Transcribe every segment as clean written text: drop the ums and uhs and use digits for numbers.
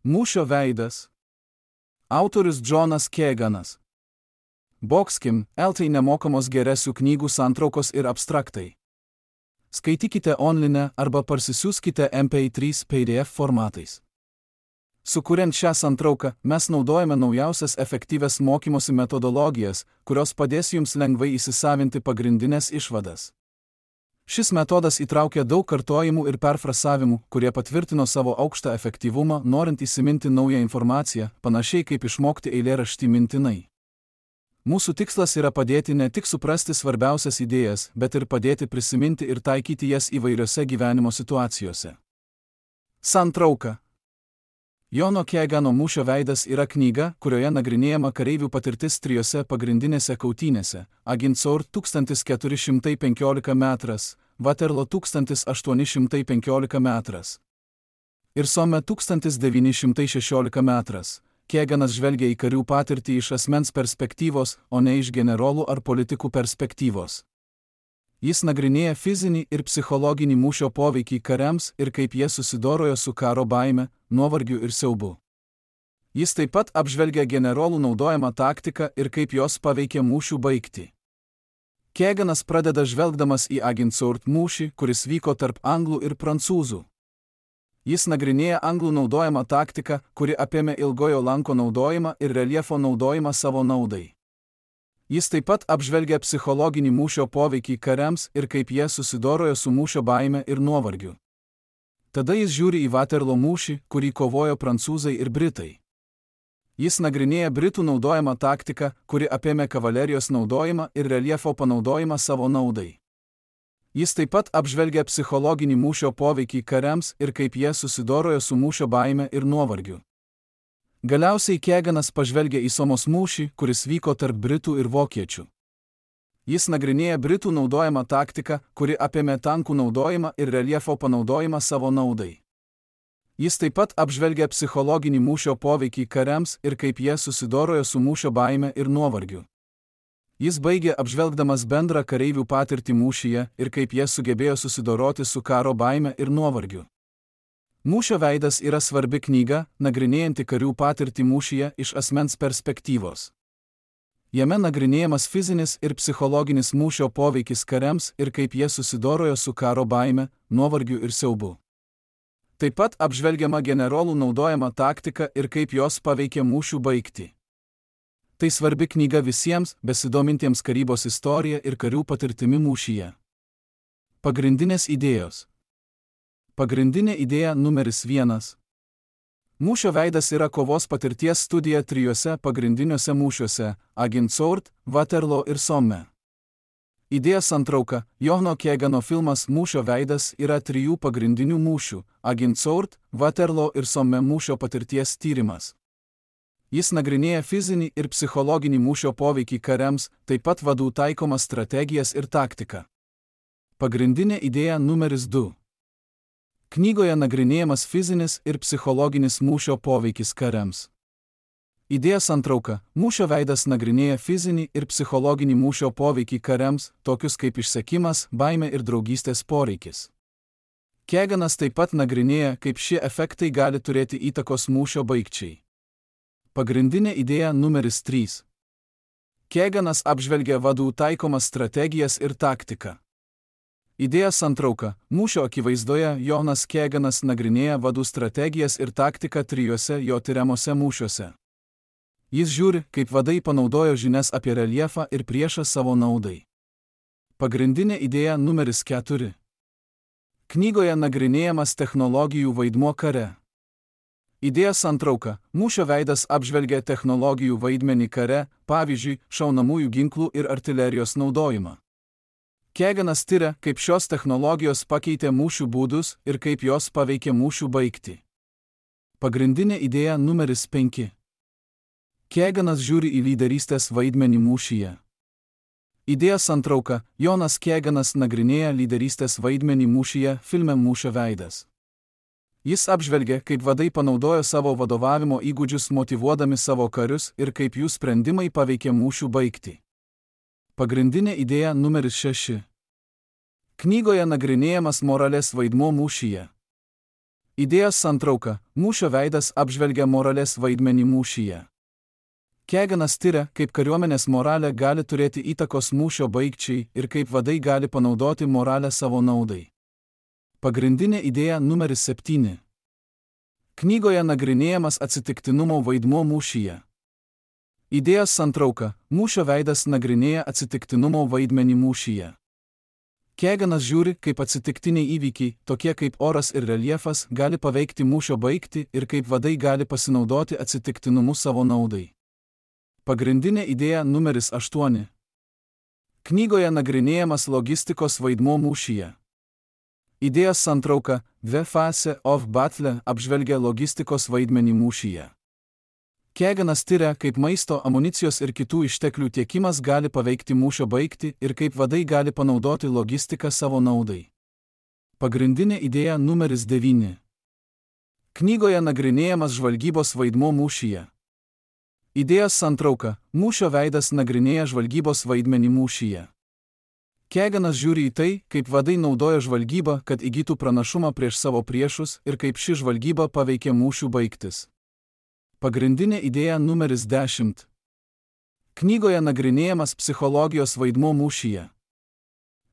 Mūšio veidas. Autorius Džonas Keganas. Boxkim, LT nemokamos geresių knygų santraukos ir abstraktai. Skaitykite online arba parsisiųskite MP3 PDF formatais. Sukuriant šią santrauką, mes naudojame naujausias efektyvias mokymosi metodologijas, kurios padės jums lengvai įsisavinti pagrindinės išvadas. Šis metodas įtraukia daug kartojimų ir perfrasavimų, kurie patvirtino savo aukštą efektyvumą, norint įsiminti naują informaciją, panašiai kaip išmokti eilėraštį mintinai. Mūsų tikslas yra padėti ne tik suprasti svarbiausias idėjas, bet ir padėti prisiminti ir taikyti jas įvairiose gyvenimo situacijose. Santrauka. Jono Kegano Mūšio veidas yra knyga, kurioje nagrinėjama kareivių patirtis trijose pagrindinėse kautynėse – Agincourt 1415 metras, Waterloo 1815 metras ir Somme 1916 metras. Keganas žvelgia į karių patirtį iš asmens perspektyvos, o ne iš generolų ar politikų perspektyvos. Jis nagrinėja fizinį ir psichologinį mūšio poveikį kariams ir kaip jie susidorojo su karo baime, nuovargiu ir siaubu. Jis taip pat apžvelgia generolų naudojamą taktiką ir kaip jos paveikė mūšių baigtį. Keganas pradeda žvelgdamas į Agincourt mūšį, kuris vyko tarp anglų ir prancūzų. Jis nagrinėja anglų naudojamą taktiką, kuri apėmė ilgojo lanko naudojimą ir reljefo naudojimą savo naudai. Jis taip pat apžvelgia psichologinį mūšio poveikį kariams ir kaip jie susidorojo su mūšio baime ir nuovargiu. Tada jis žiūri į Waterloo mūšį, kurį kovojo prancūzai ir britai. Jis nagrinėja britų naudojamą taktiką, kuri apėmė kavalerijos naudojimą ir reljefo panaudojimą savo naudai. Jis taip pat apžvelgia psichologinį mūšio poveikį kariams ir kaip jie susidorojo su mūšio baime ir nuovargiu. Galiausiai Keganas pažvelgia į Somos mūšį, kuris vyko tarp britų ir vokiečių. Jis nagrinėja britų naudojamą taktiką, kuri apėmė tankų naudojimą ir reljefo panaudojimą savo naudai. Jis taip pat apžvelgia psichologinį mūšio poveikį kariams ir kaip jie susidorojo su mūšio baime ir nuovargiu. Jis baigė apžvelgdamas bendrą kareivių patirtį mūšyje ir kaip jie sugebėjo susidoroti su karo baime ir nuovargiu. Mūšio veidas yra svarbi knyga, nagrinėjanti karių patirtį mūšyje iš asmens perspektyvos. Jame nagrinėjamas fizinis ir psichologinis mūšio poveikis kariams ir kaip jie susidorojo su karo baime, nuovargiu ir siaubu. Taip pat apžvelgiama generolų naudojama taktika ir kaip jos paveikė mūšių baigtį. Tai svarbi knyga visiems, besidomintiems karybos istorija ir karių patirtimi mūšyje. Pagrindinės idėjos. Pagrindinė idėja numeris 1. Mūšio veidas yra kovos patirties studija trijose pagrindiniuose mūšiuose – Agincourt, Waterloo ir Somme. Idėja santrauka. Jono Kegano filmas Mūšio veidas yra trijų pagrindinių mūšių – Agincourt, Waterloo ir Somme mūšio patirties tyrimas. Jis nagrinėja fizinį ir psichologinį mūšio poveikį kariams, taip pat vadų taikomas strategijas ir taktiką. Pagrindinė idėja numeris 2. Knygoje nagrinėjamas fizinis ir psichologinis mūšio poveikis kariams. Idėja santrauka. Mūšio veidas nagrinėja fizinį ir psichologinį mūšio poveikį kariams, tokius kaip išsekimas, baimė ir draugystės poreikis. Keganas taip pat nagrinėja, kaip šie efektai gali turėti įtakos mūšio baigčiai. Pagrindinė idėja numeris 3. Keganas apžvelgia vadų taikomas strategijas ir taktiką. Idėja santrauka. Mūšio akivaizdoje Jonas Keganas nagrinėja vadų strategijas ir taktiką trijuose jo tiriamuose mūšiuose. Jis žiūri, kaip vadai panaudojo žinias apie reljefą ir priešą savo naudai. Pagrindinė idėja numeris 4. Knygoje nagrinėjamas technologijų vaidmuo kare. Idėja santrauka. Mūšio veidas apžvelgia technologijų vaidmenį kare, pavyzdžiui, šaunamųjų ginklų ir artilerijos naudojimą. Keganas tiria, kaip šios technologijos pakeitė mūšių būdus ir kaip jos paveikė mūšių baigtį. Pagrindinė idėja numeris 5. Keganas žiūri į lyderystės vaidmenį mūšyje. Idėja santrauka. Jonas Keganas nagrinėja lyderystės vaidmenį mūšyje filme Mūšio veidas. Jis apžvelgia, kaip vadai panaudojo savo vadovavimo įgūdžius motyvuodami savo karius ir kaip jų sprendimai paveikė mūšių baigtį. Pagrindinė idėja numeris 6. Knygoje nagrinėjamas moralės vaidmuo mūšyje. Idėjos santrauka – mūšio veidas apžvelgia moralės vaidmenį mūšyje. Keganas tiria, kaip kariuomenės moralė gali turėti įtakos mūšio baigčiai ir kaip vadai gali panaudoti moralę savo naudai. Pagrindinė idėja numeris 7. Knygoje nagrinėjamas atsitiktinumo vaidmuo mūšyje. Idėjos santrauka – mūšio veidas nagrinėja atsitiktinumo vaidmenį mūšyje. Keganas žiūri, kaip atsitiktiniai įvykiai, tokie kaip oras ir reljefas, gali paveikti mūšio baigtį ir kaip vadai gali pasinaudoti atsitiktinumu savo naudai. Pagrindinė idėja numeris 8. Knygoje nagrinėjamas logistikos vaidmuo mūšyje. Idėjos santrauka The Phase of Battle apžvelgia logistikos vaidmenį mūšyje. Keganas tiria, kaip maisto, amunicijos ir kitų išteklių tiekimas gali paveikti mūšio baigtį ir kaip vadai gali panaudoti logistiką savo naudai. Pagrindinė idėja numeris 9. Knygoje nagrinėjamas žvalgybos vaidmuo mūšyje. Idėjos santrauka – mūšio veidas nagrinėja žvalgybos vaidmenį mūšyje. Keganas žiūri į tai, kaip vadai naudoja žvalgybą, kad įgytų pranašumą prieš savo priešus ir kaip ši žvalgyba paveikė mūšių baigtis. Pagrindinė idėja numeris 10. Knygoje nagrinėjamas psichologijos vaidmuo mūšyje.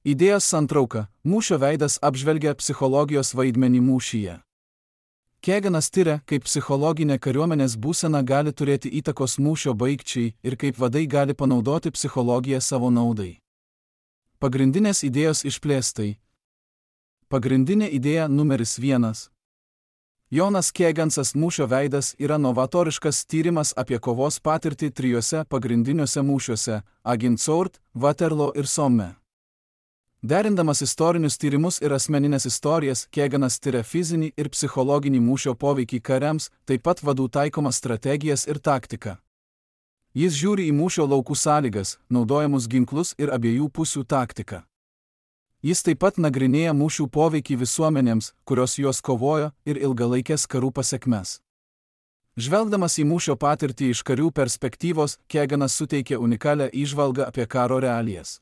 Idėjos santrauka – mūšio veidas apžvelgia psichologijos vaidmenį mūšyje. Keganas tiria, kaip psichologinė kariuomenės būsena gali turėti įtakos mūšio baigčiai ir kaip vadai gali panaudoti psichologiją savo naudai. Pagrindinės idėjos išplėstai. Pagrindinė idėja numeris 1. Jonas Kegansas mūšio veidas yra novatoriškas tyrimas apie kovos patirtį 3 pagrindiniuose mūšiuose – Agincourt, Waterloo ir Somme. Derindamas istorinius tyrimus ir asmeninės istorijas, Keganas tiria fizinį ir psichologinį mūšio poveikį kariams, taip pat vadų taikomas strategijas ir taktiką. Jis žiūri į mūšio laukų sąlygas, naudojamus ginklus ir abiejų pusių taktiką. Jis taip pat nagrinėja mūšių poveikį visuomenėms, kurios juos kovojo, ir ilgalaikės karų pasekmes. Žvelgdamas į mūšio patirtį iš karių perspektyvos, Keganas suteikia unikalią įžvalgą apie karo realijas.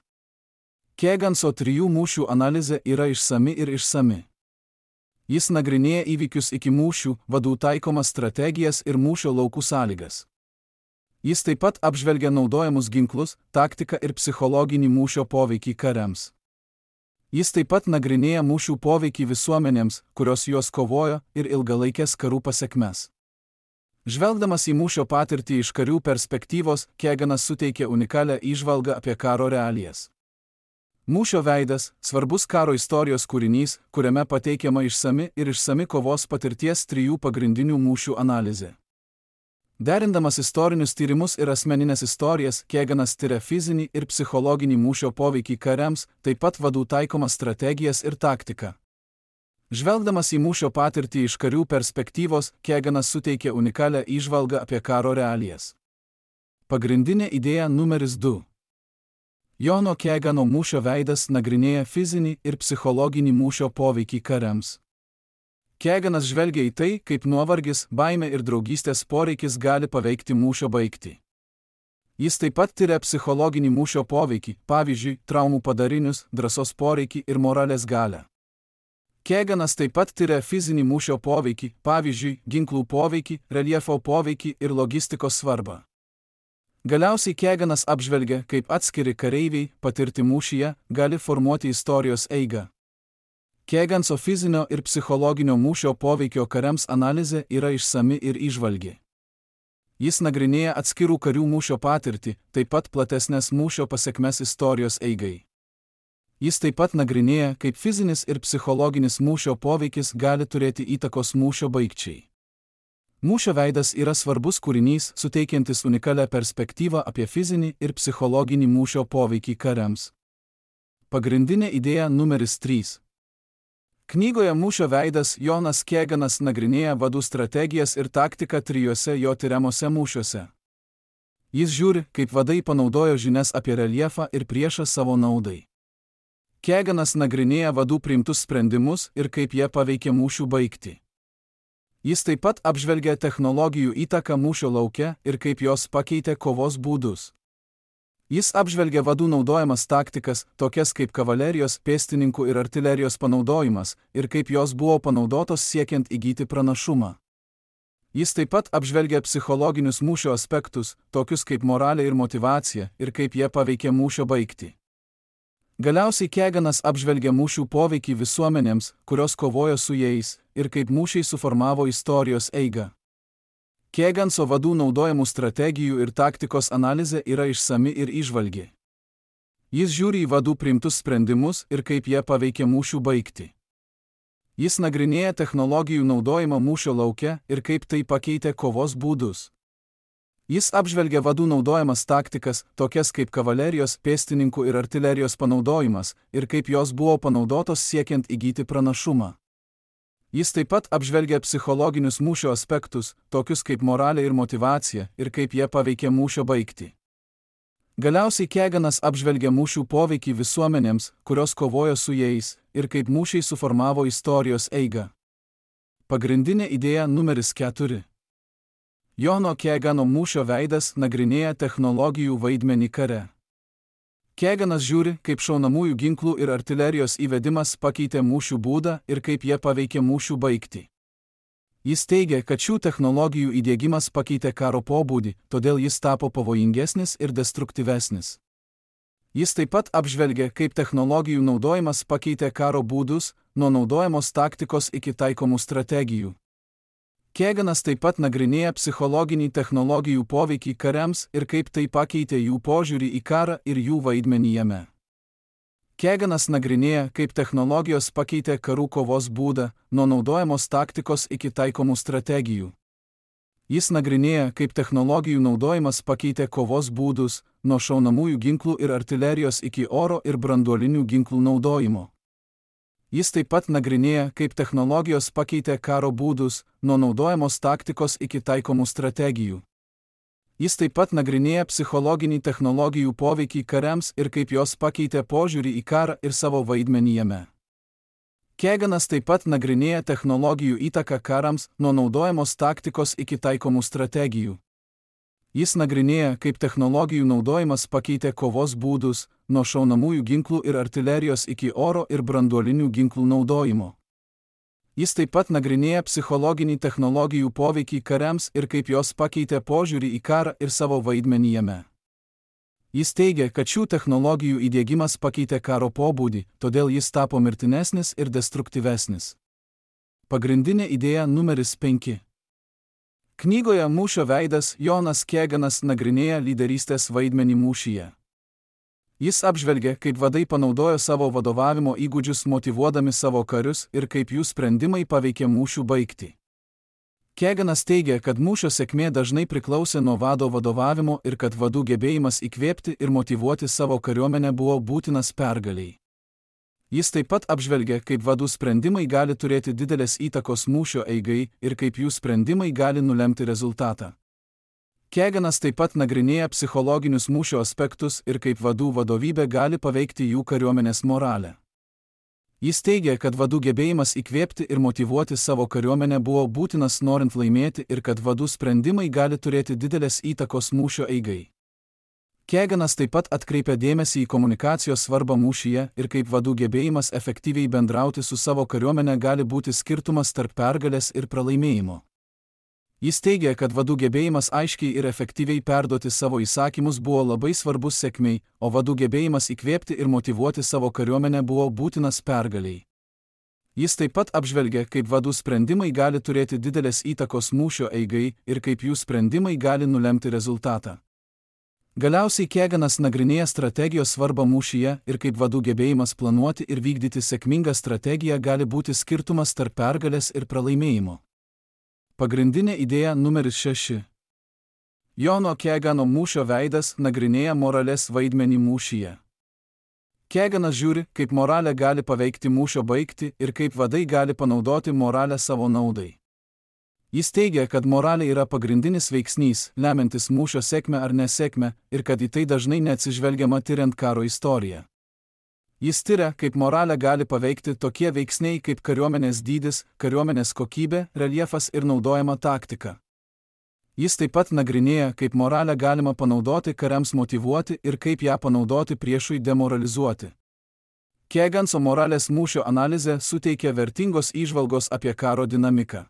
Keganso 3 mūšių analizė yra išsami ir išsami. Jis nagrinėja įvykius iki mūšių, vadų taikomas strategijas ir mūšio laukų sąlygas. Jis taip pat apžvelgia naudojamus ginklus, taktiką ir psichologinį mūšio poveikį kariams. Jis taip pat nagrinėja mūšių poveikį visuomenėms, kurios juos kovojo, ir ilgalaikės karų pasekmes. Žvelgdamas į mūšio patirtį iš karių perspektyvos, Keganas suteikia unikalią įžvalgą apie karo realijas. Mūšio veidas – svarbus karo istorijos kūrinys, kuriame pateikiama išsami kovos patirties 3 pagrindinių mūšių analizė. Derindamas istorinius tyrimus ir asmeninės istorijas, Keganas tiria fizinį ir psichologinį mūšio poveikį kariams, taip pat vadų taikomas strategijas ir taktiką. Žvelgdamas į mūšio patirtį iš karių perspektyvos, Keganas suteikia unikalią įžvalgą apie karo realijas. Pagrindinė idėja numeris 2. Jono Kegano mūšio veidas nagrinėja fizinį ir psichologinį mūšio poveikį kariams. Keganas žvelgia į tai, kaip nuovargis, baimė ir draugystės poreikis gali paveikti mūšio baigtį. Jis taip pat tiria psichologinį mūšio poveikį, pavyzdžiui, traumų padarinius, drąsos poreikį ir moralės galią. Keganas taip pat tiria fizinį mūšio poveikį, pavyzdžiui, ginklų poveikį, reljefo poveikį ir logistikos svarbą. Galiausiai Keganas apžvelgia, kaip atskiri kareiviai, patirti mūšyje, gali formuoti istorijos eigą. Keganso fizinio ir psichologinio mūšio poveikio kariams analizė yra išsami ir įžvalgi. Jis nagrinėja atskirų karių mūšio patirtį, taip pat platesnės mūšio pasekmes istorijos eigai. Jis taip pat nagrinėja, kaip fizinis ir psichologinis mūšio poveikis gali turėti įtakos mūšio baigčiai. Mūšio veidas yra svarbus kūrinys, suteikiantis unikalią perspektyvą apie fizinį ir psichologinį mūšio poveikį kariams. Pagrindinė idėja numeris 3. Knygoje Mūšio veidas Jonas Keganas nagrinėja vadų strategijas ir taktiką 3 jo tiriamuose mūšiuose. Jis žiūri, kaip vadai panaudojo žinias apie reljefą ir priešą savo naudai. Keganas nagrinėja vadų priimtus sprendimus ir kaip jie paveikė mūšių baigtį. Jis taip pat apžvelgia technologijų įtaką mūšio lauke ir kaip jos pakeitė kovos būdus. Jis apžvelgia vadų naudojamas taktikas, tokias kaip kavalerijos, pėstininkų ir artilerijos panaudojimas, ir kaip jos buvo panaudotos siekiant įgyti pranašumą. Jis taip pat apžvelgia psichologinius mūšio aspektus, tokius kaip moralė ir motyvacija, ir kaip jie paveikė mūšio baigtį. Galiausiai Keganas apžvelgia mūšių poveikį visuomenėms, kurios kovojo su jais, ir kaip mūšiai suformavo istorijos eigą. Keganso vadų naudojamų strategijų ir taktikos analizė yra išsami ir įžvalgi. Jis žiūri į vadų priimtus sprendimus ir kaip jie paveikė mūšių baigtį. Jis nagrinėja technologijų naudojimą mūšio lauke ir kaip tai pakeitė kovos būdus. Jis apžvelgia vadų naudojamas taktikas, tokias kaip kavalerijos, pėstininkų ir artilerijos panaudojimas, ir kaip jos buvo panaudotos siekiant įgyti pranašumą. Jis taip pat apžvelgia psichologinius mūšio aspektus, tokius kaip moralė ir motyvacija, ir kaip jie paveikė mūšio baigtį. Galiausiai Keganas apžvelgia mūšių poveikį visuomenėms, kurios kovojo su jais, ir kaip mūšiai suformavo istorijos eigą. Pagrindinė idėja numeris 4. Johno Kegano mūšio veidas nagrinėja technologijų vaidmenį kare. Keganas žiūri, kaip šaunamųjų ginklų ir artilerijos įvedimas pakeitė mūšių būdą ir kaip jie paveikė mūšių baigtį. Jis teigia, kad šių technologijų įdiegimas pakeitė karo pobūdį, todėl jis tapo pavojingesnis ir destruktyvesnis. Jis taip pat apžvelgia, kaip technologijų naudojimas pakeitė karo būdus, nuo naudojamos taktikos iki taikomų strategijų. Keganas taip pat nagrinėja psichologinį technologijų poveikį kariams ir kaip tai pakeitė jų požiūrį į karą ir jų vaidmenį jame. Keganas nagrinėja, kaip technologijos pakeitė karų kovos būdą, nuo naudojamos taktikos iki taikomų strategijų. Jis nagrinėja, kaip technologijų naudojimas pakeitė kovos būdus, nuo šaunamųjų ginklų ir artilerijos iki oro ir branduolinių ginklų naudojimo. Jis taip pat nagrinėja, kaip technologijos pakeitė karo būdus, nuo naudojamos taktikos iki taikomų strategijų. Jis taip pat nagrinėja psichologinį technologijų poveikį kariams ir kaip jos pakeitė požiūrį į karą ir savo vaidmenį jame. Keganas taip pat nagrinėja technologijų įtaką karams, nuo naudojamos taktikos iki taikomų strategijų. Jis nagrinėja, kaip technologijų naudojimas pakeitė kovos būdus, nuo šaunamųjų ginklų ir artilerijos iki oro ir branduolinių ginklų naudojimo. Jis taip pat nagrinėja psichologinį technologijų poveikį kariams ir kaip jos pakeitė požiūrį į karą ir savo vaidmenį jame. Jis teigia, kad šių technologijų įdiegimas pakeitė karo pobūdį, todėl jis tapo mirtinesnis ir destruktyvesnis. Pagrindinė idėja numeris 5. Knygoje Mūšio veidas Jonas Keganas nagrinėja lyderystės vaidmenį mūšyje. Jis apžvelgia, kaip vadai panaudojo savo vadovavimo įgūdžius motyvuodami savo karius ir kaip jų sprendimai paveikė mūšių baigtį. Keganas teigia, kad mūšio sėkmė dažnai priklausė nuo vado vadovavimo ir kad vadų gebėjimas įkvėpti ir motyvuoti savo kariuomenę buvo būtinas pergalei. Jis taip pat apžvelgia, kaip vadų sprendimai gali turėti didelės įtakos mūšio eigai ir kaip jų sprendimai gali nulemti rezultatą. Keganas taip pat nagrinėja psichologinius mūšio aspektus ir kaip vadų vadovybė gali paveikti jų kariuomenės moralę. Jis teigia, kad vadų gebėjimas įkvėpti ir motyvuoti savo kariuomenę buvo būtinas norint laimėti ir kad vadų sprendimai gali turėti didelės įtakos mūšio eigai. Keganas taip pat atkreipia dėmesį į komunikacijos svarbą mūšyje ir kaip vadų gebėjimas efektyviai bendrauti su savo kariuomenė gali būti skirtumas tarp pergalės ir pralaimėjimo. Jis teigia, kad vadų gebėjimas aiškiai ir efektyviai perduoti savo įsakymus buvo labai svarbus sėkmei, o vadų gebėjimas įkvėpti ir motyvuoti savo kariuomenę buvo būtinas pergaliai. Jis taip pat apžvelgia, kaip vadų sprendimai gali turėti didelės įtakos mūšio eigai ir kaip jų sprendimai gali nulemti rezultatą. Galiausiai Keganas nagrinėja strategijos svarbą mūšyje ir kaip vadų gebėjimas planuoti ir vykdyti sėkmingą strategiją gali būti skirtumas tarp pergalės ir pralaimėjimo. Pagrindinė idėja numeris 6. Jono Kegano mūšio veidas nagrinėja moralės vaidmenį mūšyje. Keganas žiūri, kaip moralė gali paveikti mūšio baigtį ir kaip vadai gali panaudoti moralę savo naudai. Jis teigia, kad moralė yra pagrindinis veiksnys, lemiantis mūšio sėkmę ar nesėkmę, ir kad į tai dažnai neatsižvelgiama tiriant karo istoriją. Jis tiria, kaip moralę gali paveikti tokie veiksniai kaip kariuomenės dydis, kariuomenės kokybė, reljefas ir naudojama taktika. Jis taip pat nagrinėja, kaip moralę galima panaudoti kariams motyvuoti ir kaip ją panaudoti priešui demoralizuoti. Keganso moralės mūšio analizė suteikia vertingos įžvalgos apie karo dinamiką.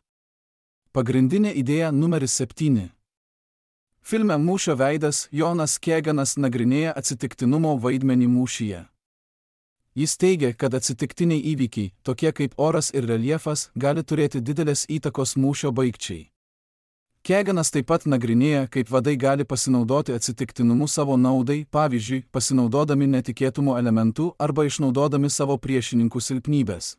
Pagrindinė idėja numeris 7. Filme Mūšio veidas Jonas Keganas nagrinėja atsitiktinumo vaidmenį mūšyje. Jis teigia, kad atsitiktiniai įvykiai, tokie kaip oras ir reljefas, gali turėti didelės įtakos mūšio baigčiai. Keganas taip pat nagrinėja, kaip vadai gali pasinaudoti atsitiktinumu savo naudai, pavyzdžiui, pasinaudodami netikėtumo elementų arba išnaudodami savo priešininkų silpnybės.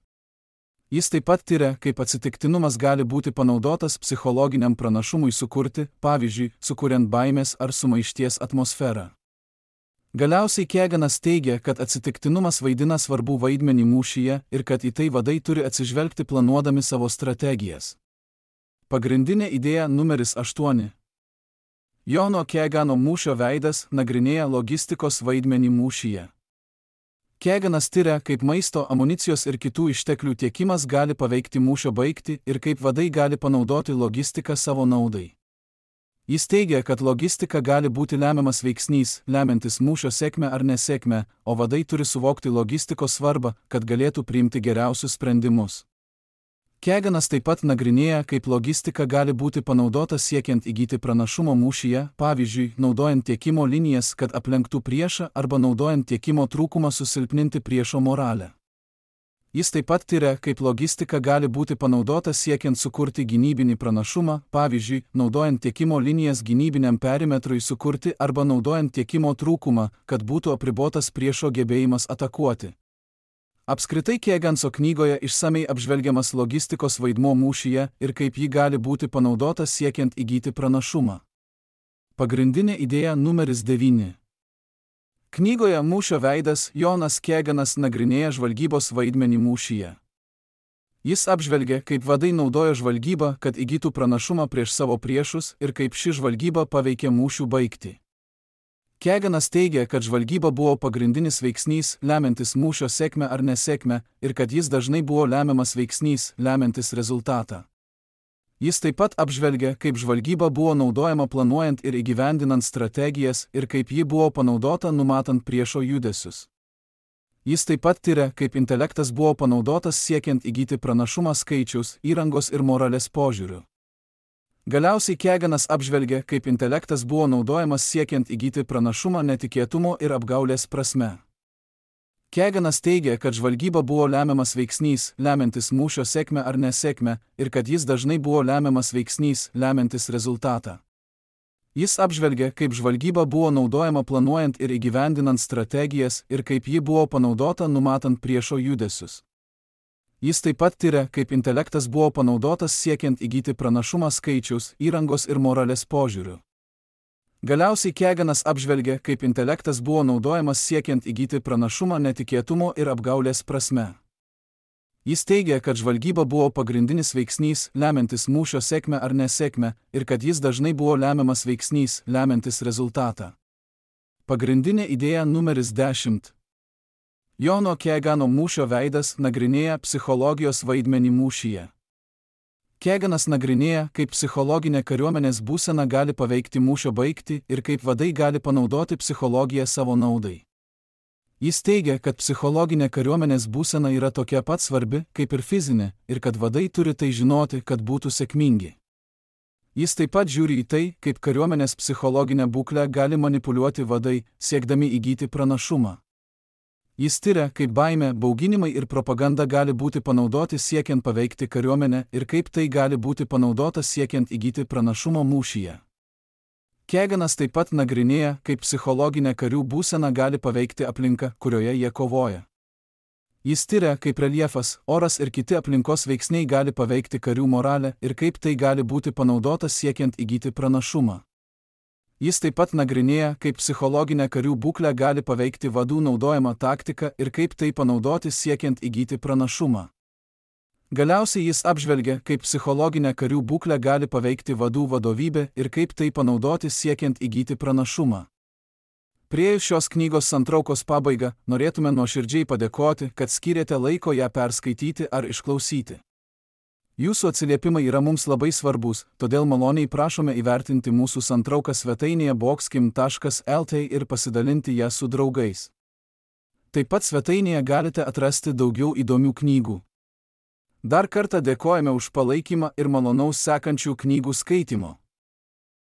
Jis taip pat tiria, kaip atsitiktinumas gali būti panaudotas psichologiniam pranašumui sukurti, pavyzdžiui, sukuriant baimės ar sumaišties atmosferą. Galiausiai Keganas teigia, kad atsitiktinumas vaidina svarbų vaidmenį mūšyje ir kad į tai vadai turi atsižvelgti planuodami savo strategijas. Pagrindinė idėja numeris 8. Jono Kegano Mūšio veidas nagrinėja logistikos vaidmenį mūšyje. Keganas tiria, kaip maisto, amunicijos ir kitų išteklių tiekimas gali paveikti mūšio baigtį ir kaip vadai gali panaudoti logistiką savo naudai. Jis teigia, kad logistika gali būti lemiamas veiksnys, lemiantis mūšio sėkmę ar nesėkmę, o vadai turi suvokti logistikos svarbą, kad galėtų priimti geriausius sprendimus. Keganas taip pat nagrinėja, kaip logistika gali būti panaudota siekiant įgyti pranašumo mūšyje, pavyzdžiui, naudojant tiekimo linijas, kad aplenktų priešą arba naudojant tiekimo trūkumą susilpninti priešo moralę. Jis taip pat tiria, kaip logistika gali būti panaudota siekiant sukurti gynybinį pranašumą, pavyzdžiui, naudojant tiekimo linijas gynybiniam perimetrui sukurti arba naudojant tiekimo trūkumą, kad būtų apribotas priešo gebėjimas atakuoti. Apskritai Keganso knygoje išsamei apžvelgiamas logistikos vaidmuo mūšyje ir kaip ji gali būti panaudota siekiant įgyti pranašumą. Pagrindinė idėja numeris 9. Knygoje Mūšio veidas Jonas Keganas nagrinėja žvalgybos vaidmenį mūšyje. Jis apžvelgia, kaip vadai naudoja žvalgybą, kad įgytų pranašumą prieš savo priešus ir kaip ši žvalgyba paveikė mūšių baigtį. Keganas teigia, kad žvalgyba buvo pagrindinis veiksnys, lemiantis mūšio sėkmę ar nesėkmę, ir kad jis dažnai buvo lemiamas veiksnys, lemiantis rezultatą. Jis taip pat apžvelgia, kaip žvalgyba buvo naudojama planuojant ir įgyvendinant strategijas ir kaip ji buvo panaudota numatant priešo judesius. Jis taip pat tiria, kaip intelektas buvo panaudotas siekiant įgyti pranašumą skaičiaus, įrangos ir moralės požiūriu. Galiausiai Keganas apžvelgia, kaip intelektas buvo naudojamas siekiant įgyti pranašumą netikėtumo ir apgaulės prasme. Keganas teigia, kad žvalgyba buvo lemiamas veiksnys, lemiantis mūšio sėkmę ar nesėkmę, ir kad jis dažnai buvo lemiamas veiksnys, lemiantis rezultatą. Jis apžvelgia, kaip žvalgyba buvo naudojama planuojant ir įgyvendinant strategijas ir kaip ji buvo panaudota numatant priešo judesius. Jis taip pat tiria, kaip intelektas buvo panaudotas siekiant įgyti pranašumą skaičiaus, įrangos ir moralės požiūriu. Galiausiai Keganas apžvelgia, kaip intelektas buvo naudojamas siekiant įgyti pranašumą netikėtumo ir apgaulės prasme. Jis teigia, kad žvalgyba buvo pagrindinis veiksnys, lemiantis mūšio sėkmę ar nesėkmę, ir kad jis dažnai buvo lemiamas veiksnys, lemiantis rezultatą. Pagrindinė idėja numeris 10. Jono Kegano Mūšio veidas nagrinėja psichologijos vaidmenį mūšyje. Keganas nagrinėja, kaip psichologinė kariuomenės būsena gali paveikti mūšio baigtį ir kaip vadai gali panaudoti psichologiją savo naudai. Jis teigia, kad psichologinė kariuomenės būsena yra tokia pat svarbi, kaip ir fizinė, ir kad vadai turi tai žinoti, kad būtų sėkmingi. Jis taip pat žiūri į tai, kaip kariuomenės psichologinę būklę gali manipuliuoti vadai, siekdami įgyti pranašumą. Jis tiria, kaip baimė, bauginimai ir propaganda gali būti panaudoti siekiant paveikti kariuomenę ir kaip tai gali būti panaudota siekiant įgyti pranašumo mūšyje. Keganas taip pat nagrinėja, kaip psichologinė karių būsena gali paveikti aplinką, kurioje jie kovoja. Jis tiria, kaip reljefas, oras ir kiti aplinkos veiksniai gali paveikti karių moralę ir kaip tai gali būti panaudota siekiant įgyti pranašumą. Jis taip pat nagrinėja, kaip psichologinė karių būklė gali paveikti vadų naudojamą taktiką ir kaip tai panaudoti siekiant įgyti pranašumą. Galiausiai jis apžvelgia, kaip psichologinė karių būklė gali paveikti vadų vadovybę ir kaip tai panaudoti siekiant įgyti pranašumą. Priėjus šios knygos santraukos pabaigą, norėtume nuoširdžiai padėkoti, kad skyrėte laiko ją perskaityti ar išklausyti. Jūsų atsiliepimai yra mums labai svarbus, todėl maloniai prašome įvertinti mūsų santrauką svetainėje boxkim.lt ir pasidalinti ją su draugais. Taip pat svetainėje galite atrasti daugiau įdomių knygų. Dar kartą dėkojame už palaikymą ir malonaus sekančių knygų skaitymo.